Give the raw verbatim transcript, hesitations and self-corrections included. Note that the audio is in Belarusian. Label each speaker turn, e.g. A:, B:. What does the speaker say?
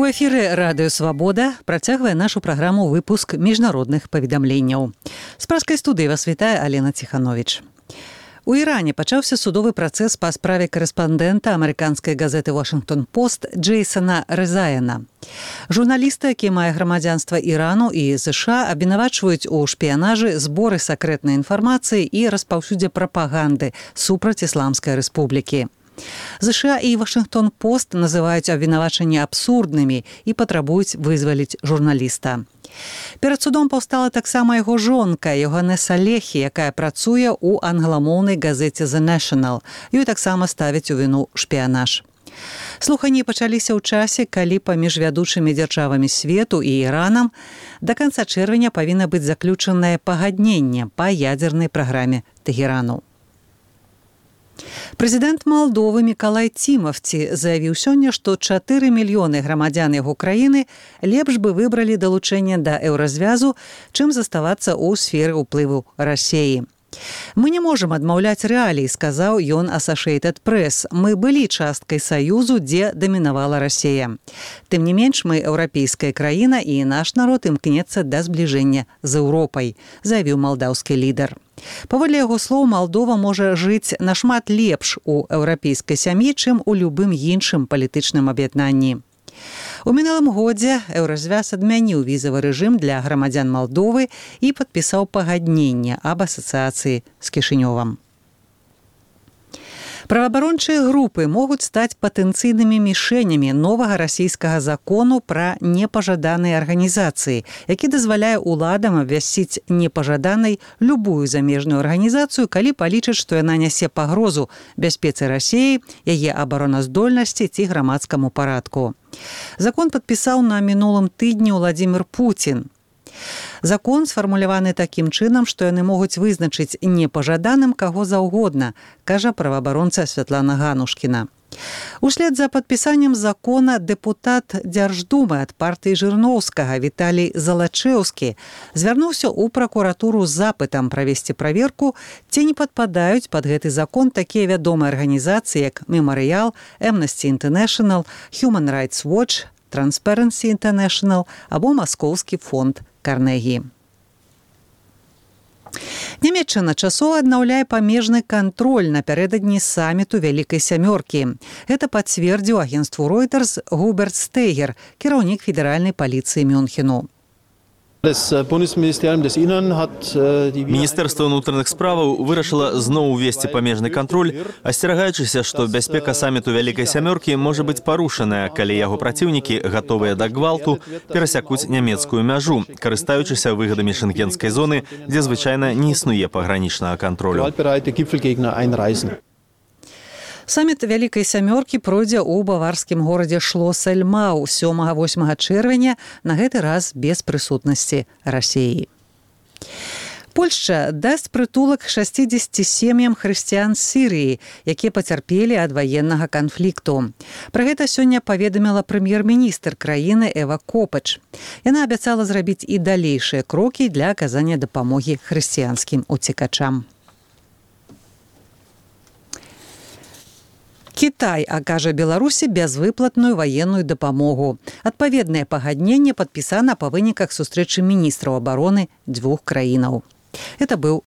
A: У эфіры радыё Свабода працягвае нашу праграму выпуск міжнародных паведамленняў. З праскай студыі вас вітае Алена Ціхановіч. У Іране пачаўся судовы працэс па справе корэспандэнта амерыканскай газеты «Вашингтон Пост» Джейсона Резаяна. Журналіста, які мае грамадзянства Ірану і США, абвінавачваюць у шпіянажы, зборы сакрэтнай інфармацыі і распаўсюдзе прапаганды супраць Ісламскай рэспублікі. ЗША і «Вашингтон Пост» называюць абвінавачанні абсурднымі і патрабуюць вызваліць журналіста. Перад судом паўстала таксама яго жонка, Йоганеса Лехі, якая працуе ў англамоўнай газеце «The National». Ёй таксама ставяць у віну шпіянаж. Слуханні пачаліся ў часе, калі паміж вядучымі дзяржавамі свету і Іранам да канца чэрвеня павінна быць заключанае пагадненне па ядзернай праграме Тэхерану. Прэзідэнт Малдовы Мікалай Цімавці заявіў сёння, што чатыры мільёны грамадзян яго краіны лепш бы выбралі далучэнне да еўразвязу, чым заставацца ў сферы ўплыву Расіі. «Мы не можам адмаўляць рэалій», сказаў ён Associated Press. «Мы былі часткай саюзу, дзе дамінавала Расія. Тым не менш, мы еўрапейская краіна, і наш народ імкнецца да збліжэння з Еўропай», заявіў малдаўскі лідар. Паводле яго слоў, Малдова можа жыць нашмат лепш у еўрапейскай сям'і, чым у любым іншым палітычным аб'яднанні. У мінулым годзе еўразвяз адмяніў візавы рэжым для грамадзян Малдовы і падпісаў пагадненне аб асацыяцыі з Кішынёвам. Праваабарончыя групы могуць стаць патэнцыйнымі мішэнямі новага расійскага закону пра непажаданыя арганізацыі, які дазваляе ўладам абвясціць непажаданай любую замежную арганізацыю, калі палічаць, што яна нясе пагрозу бяспецы Расіі, яе абароназдольнасці ці грамадскаму парадку. Закон падпісаў на мінулым тыдні Владзімір Пуцін. Закон сфармуляваны такім чынам, што яны могуць вызначыць непажаданым каго заўгодна, кажа праваабаронца Святлана Ганушкіна. Услед за падпісаннем закона дэпутат Дзярждумы ад партыі Жырноўскага Віталій Залачэўскі звярнуўся ў пракуратуру з запытам правесці праверку, ці не падпадаюць пад гэты закон такія вядомыя арганізацыі, як Мемарыял, Amnesty International, Human Rights Watch, Transparency International або Маскоўскі фонд Карнегі. Нямецчына часова аднаўляе памежны кантроль напярэдадні саміту Вялікай сямёркі. Гэта пацвердзіў агенцтву Reuters Губерт Стейгер, кіраўнік федэральнай паліцыі Мюнхену.
B: Міністэрства ўнутраных справаў вырашыла зноў увесці памежны кантроль, асцерагаючыся, што бяспека саміту Вялікай сямёркі можа быць парушаная, калі яго праціўнікі, гатовыя да гвалту, перасякуць нямецкую мяжу, карыстаючыся выгадамі шэнгенскай зоны, дзе звычайна не існуе пагранічнага кантролю.
A: Саміт Вялікай сямёркі пройдзе ў баварскім горадзе Шлос-эльмау сёмага-восьмага чэрвеня, на гэты раз без прысутнасці Расіі. Польшча дасць прытулак шасцідзесяці сем'ям хрысціян з Сірыі, якія пацярпелі ад ваеннага канфлікту. Пра гэта сёння паведаміла прэм'ер-міністр краіны Эва Копач. Яна абяцала зрабіць і далейшыя крокі для аказання дапамогі хрысціянскім уцекачам. Кітай акажа Беларусі бязвыплатную ваенную дапамогу. Адпаведнае пагадненне падпісана па выніках сустрэчы міністраў абароны дзвюх краінаў. Это быў